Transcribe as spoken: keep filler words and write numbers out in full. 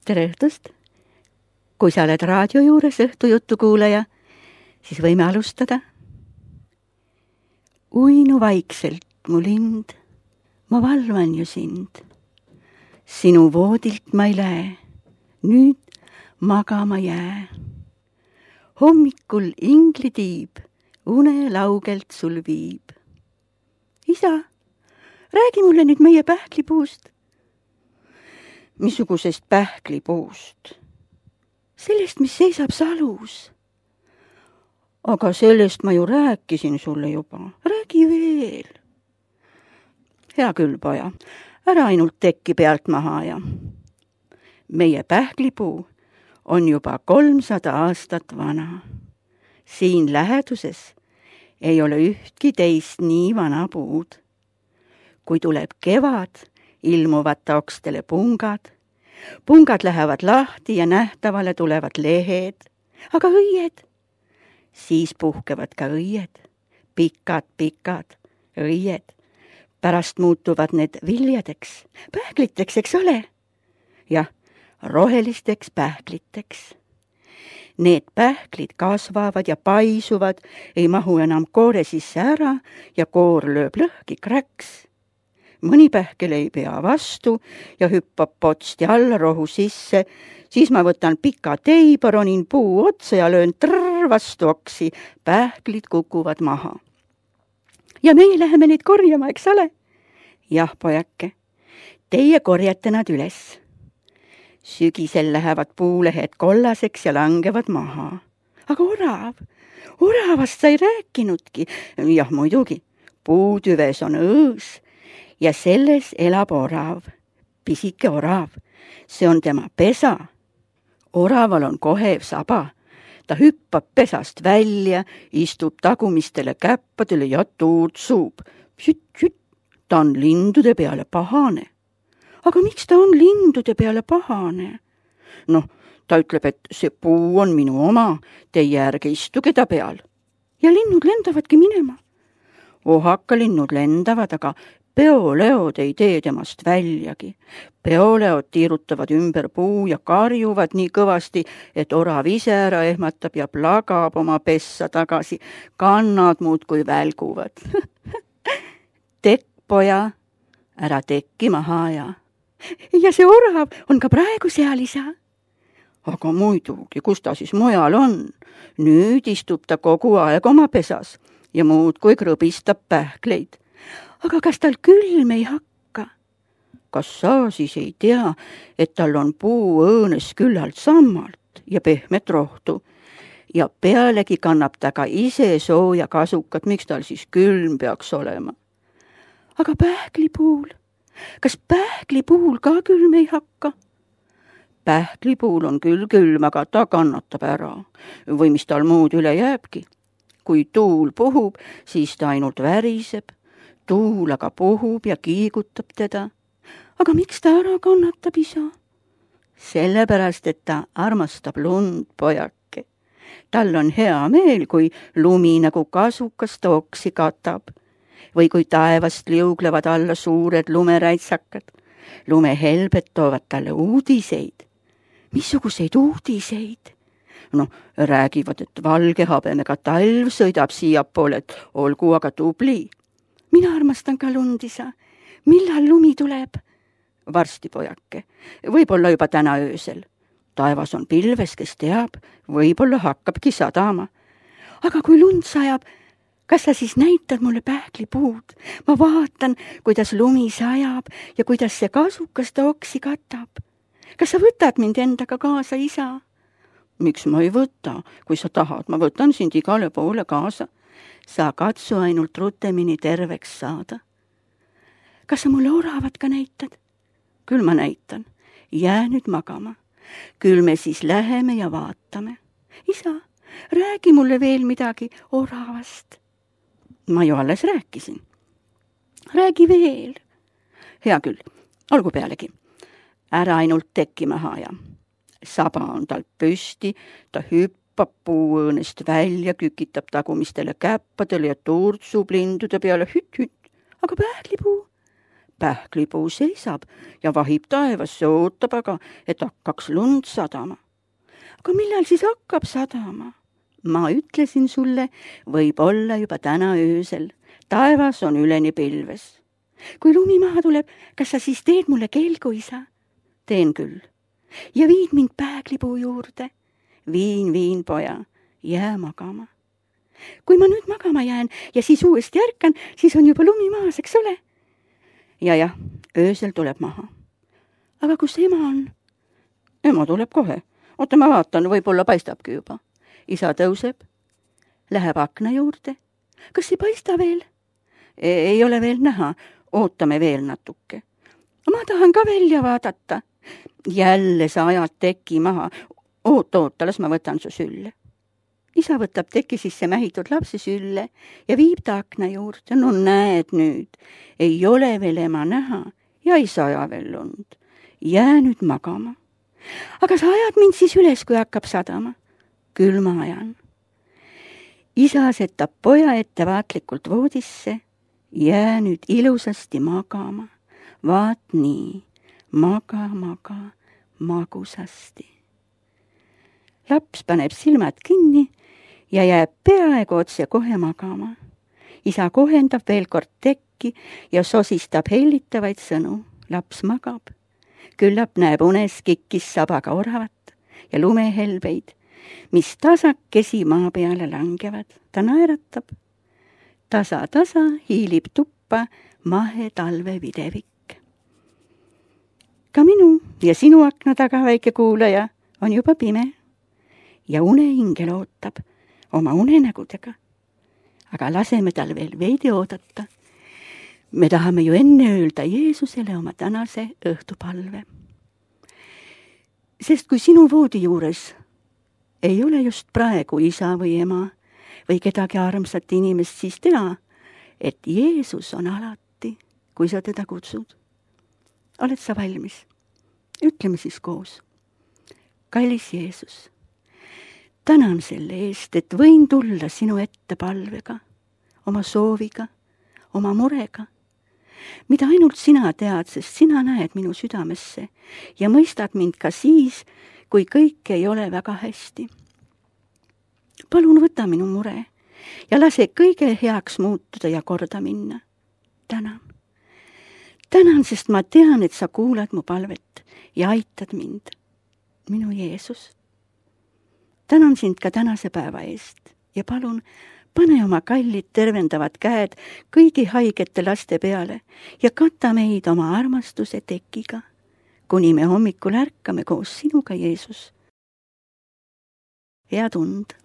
tere õhtust! Kui sa oled raadio juures õhtujuttu kuulaja, siis võime alustada. Uinu vaikselt, mu lind, ma valvan ju sind. Sinu voodilt ma ei lähe, nüüd magama jää. Hommikul inglitiib, une laugelt sul viib. Isa, räägi mulle nüüd meie pähklipuust. Missugusest pähklipuust? Sellest, mis seisab salus. Aga sellest ma ju rääkisin sulle juba. Räägi veel. Hea küll, poja. Ära ainult tekki pealt maha ja. Meie pähklipuu on juba kolmsada aastat vana. Siin läheduses ei ole ühtki teist nii vana puud. Kui tuleb kevad, ilmuvad taokstele pungad. Pungad lähevad lahti ja nähtavale tulevad lehed, aga õied. Siis puhkevad ka õied, pikad, pikad õied. Pärast muutuvad need viljadeks, pähkliteks, eks ole? Jah, rohelisteks pähkliteks. Need pähklid kasvavad ja paisuvad, ei mahu enam koore sisse ära ja koor lööb lõhki kräks. Mõni pähkel ei pea vastu ja hüppab potsti alla rohu sisse, siis ma võtan pika teiba, ronin puu otsa ja löön trrr vastu oksi, pähklid kukuvad maha. Ja meie läheme neid korjama, eks ole? Jah, pojake, teie korjate nad üles. Sügisel lähevad puulehed kollaseks ja langevad maha. Aga orav, oravast sa ei rääkinudki. Jah, muidugi, puutüves on õõs. Ja selles elab orav, pisike orav, see on tema pesa. Oraval on kohev saba, ta hüppab pesast välja, istub tagumistele käppadele ja tuurtsub. Süt, süt, ta on lindude peale pahane. Aga miks ta on lindude peale pahane? Noh, ta ütleb, et see puu on minu oma, teie ärge istuge ta peal. Ja linnud lendavadki minema. Ohaka linnud lendavad, aga peoleod ei tee temast väljagi. Peoleod tiirutavad ümber puu ja karjuvad nii kõvasti, et orav ise ära ehmatab ja plagab oma pessa tagasi. Kannad muudkui välguvad. Tekk, poja, ära tekki maha ja. Ja see orav on ka praegu seal, isa. Aga muidugi, kus ta siis mujal on? Nüüd istub ta kogu aeg oma pesas ja muudkui krõbistab pähkleid. Aga kas tal külm ei hakka? Kas sa siis ei tea, et tal on puu õõnes küllalt sammalt ja pehmet rohtu ja pealegi kannab ta ka ise sooja kasukat, miks tal siis külm peaks olema? Aga pähklipuul? Kas pähklipuul ka külm ei hakka? Pähklipuul on küll külm, aga ta kannatab ära. Või mis tal muud üle jääbki? Kui tuul puhub, siis ta ainult väriseb. Tuul aga puhub ja kiigutab teda. Aga miks ta ära kannatab, isa? Sellepärast, et ta armastab lund, pojake. Tal on hea meel, kui lumi nagu kasukas tooksi katab. Või kui taevast liuglevad alla suured lumeräitsakad. Lumehelbed toovad talle uudiseid. Missuguseid uudiseid? No, räägivad, et valge habemega talv sõidab siiapoole, et olgu aga tubli. Mina armastan ka lund, isa. Millal lumi tuleb? Varsti, pojake. Võib-olla juba täna öösel. Taevas on pilves, kes teab. Võib-olla hakkabki sadama. Aga kui lund sajab, kas sa siis näitad mulle pähklipuud? Ma vaatan, kuidas lumi sajab ja kuidas see kasukas ta oksi katab. Kas sa võtad mind endaga kaasa, isa? Miks ma ei võta? Kui sa tahad, ma võtan sind igale poole kaasa. Sa katsu ainult rutemini terveks saada. Kas sa mulle oravat ka näitad? Küll ma näitan. Jää nüüd magama. Küll me siis läheme ja vaatame. Isa, räägi mulle veel midagi oravast. Ma ju alles rääkisin. Räägi veel. Hea küll, olgu pealegi. Ära ainult tekki maha ja. Saba on tal püsti, ta hüppab puuõõnest välja, kükitab tagumistele käppadele ja tuurtsub lindude peale hütt-hütt. Aga pähklipuu? pähklipuu seisab ja vahib taevasse, ootab aga, et hakkaks lund sadama. Aga millal siis hakkab sadama? Ma ütlesin sulle, võib olla juba täna öösel. Taevas on üleni pilves. Kui lumi maha tuleb, kas sa siis teed mulle kelgu, isa? Teen küll. Ja viid mind pähklipuu juurde. Viin, viin, poja, jää magama. Kui ma nüüd magama jään ja siis uuesti ärkan, siis on juba lumi maas, eks ole? Ja jah, öösel tuleb maha. Aga kus ema on? Ema tuleb kohe. Oota, ma vaatan, võib-olla paistabki juba. Isa tõuseb, läheb akna juurde. Kas ei paista veel? Ei ole veel näha, ootame veel natuke. Ma tahan ka välja vaadata. Jälle sa ajad teki maha. Oota, oota, las ma võtan su sülle. Isa võtab teki sisse mähitud lapse sülle ja viib ta akna juurde. No näed nüüd, ei ole veel ema näha ja ei saja veel lund. Jää nüüd magama. Aga sa ajad mind siis üles, kui hakkab sadama. Küll ma ajan. Isa setab poja ettevaatlikult voodisse. Jää nüüd ilusasti magama. Vaat nii, maga, maga, magusasti. Laps paneb silmad kinni ja jääb peaaegu otse kohe magama. Isa kohendab veel kord tekki ja sosistab hellitavaid sõnu. Laps magab. Küllap näeb unes kikkis sabaga oravat ja lumehelbeid, mis tasakesi maa peale langevad. Ta naeratab. Tasa, tasa hiilib tuppa mahe talve videvik. Ka minu ja sinu akna taga, väike kuulaja, on juba pime ja unehingel ootab oma unenägudega. Aga laseme tal veel veidi oodata. Me tahame ju enne öelda Jeesusele oma tänase õhtupalve. Sest kui sinu voodi juures ei ole just praegu isa või ema või kedagi armsat inimest, siis tea, et Jeesus on alati, kui sa teda kutsud. Oled sa valmis? Ütleme siis koos. Kallis Jeesus, tänan selle eest, et võin tulla sinu ette palvega, oma sooviga, oma murega, mida ainult sina tead, sest sina näed minu südamesse ja mõistad mind ka siis, kui kõik ei ole väga hästi. Palun võta minu mure ja lase kõige heaks muutuda ja korda minna. Tänan. Tänan, sest ma tean, et sa kuulad mu palvet ja aitad mind, minu Jeesus. Tänan sind ka tänase päeva eest ja palun, pane oma kallid tervendavad käed kõigi haigete laste peale ja kata meid oma armastuse tekiga, kuni me hommikul ärkame koos sinuga, Jeesus. Head und!